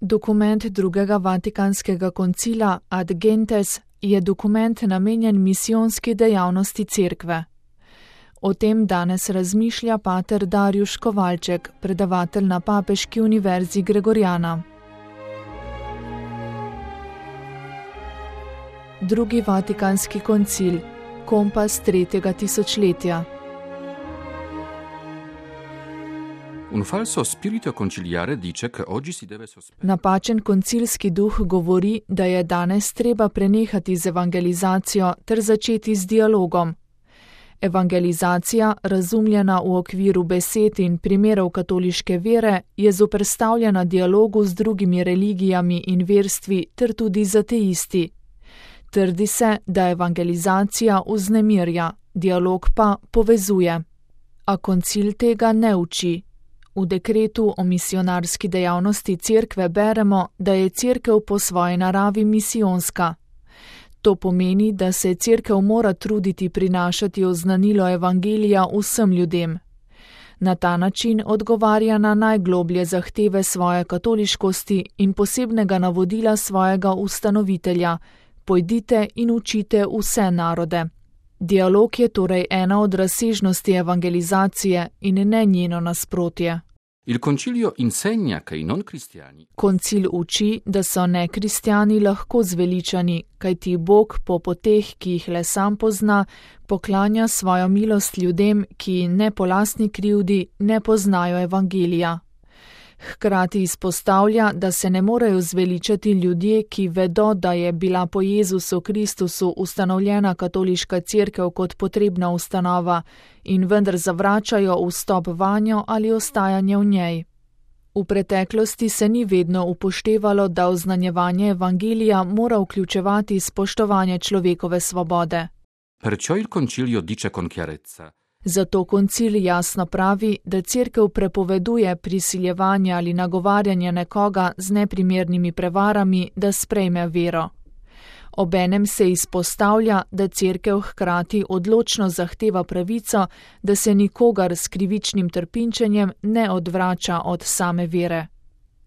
Dokument drugega Vatikanskega koncila Ad Gentes je dokument namenjen misijonski dejavnosti cerkve. O tem danes razmišlja pater Darjuš Kovalček, predavatelj na Papeški univerzi Gregoriana. Drugi Vatikanski koncil, kompas 3. tisočletja. Un falso spirito conciliare dice che oggi si deve sospendere. Napačen koncilski duh govori, da je danes treba prenehati z evangelizacijo ter začeti z dialogom. Evangelizacija, razumljena v okviru besed in primerov katoliške vere, je zoperstavljena dialogu z drugimi religijami in verstvi ter tudi z ateisti. Trdi se, da evangelizacija vznemirja, dialog pa povezuje. A koncil tega ne uči. V dekretu o misionarski dejavnosti cerkve beremo, da je cerkev po svoji naravi misijonska. To pomeni, da se cerkev mora truditi prinašati oznanilo evangelija vsem ljudem. Na ta način odgovarja na najgloblje zahteve svoje katoliškosti in posebnega navodila svojega ustanovitelja: pojdite in učite vse narode. Dialog je torej ena od razsežnosti evangelizacije in ne njeno nasprotje. Il concilio insegna che i non cristiani. Koncil uči, da so nekristjani lahko zveličani, kajti Bog po poteh, ki jih le sam pozna, poklanja svojo milost ljudem, ki ne po lastni krivdi ne poznajo evangelija. Hkrati izpostavlja, da se ne morejo zveličati ljudje, ki vedo, da je bila po Jezusu Kristusu ustanovljena katoliška cerkev kot potrebna ustanova in vendar zavračajo vstop vanjo ali ostajanje v njej. V preteklosti se ni vedno upoštevalo, da oznanjevanje evangelija mora vključevati spoštovanje človekove svobode. Perciò il concilio dice con chiarezza. Zato koncil jasno pravi, da cerkev prepoveduje prisiljevanje ali nagovarjanje nekoga z neprimernimi prevarami, da sprejme vero. Obenem se izpostavlja, da cerkev hkrati odločno zahteva pravico, da se nikogar s krivičnim trpinčenjem ne odvrača od same vere.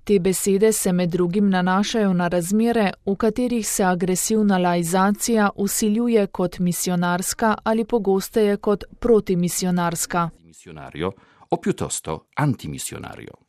Te besede se med drugim nanašajo na razmere, v katerih se agresivna laizacija vsiljuje kot misionarska ali pogosteje kot protimisionarska. Missionario o piuttosto antimisionario.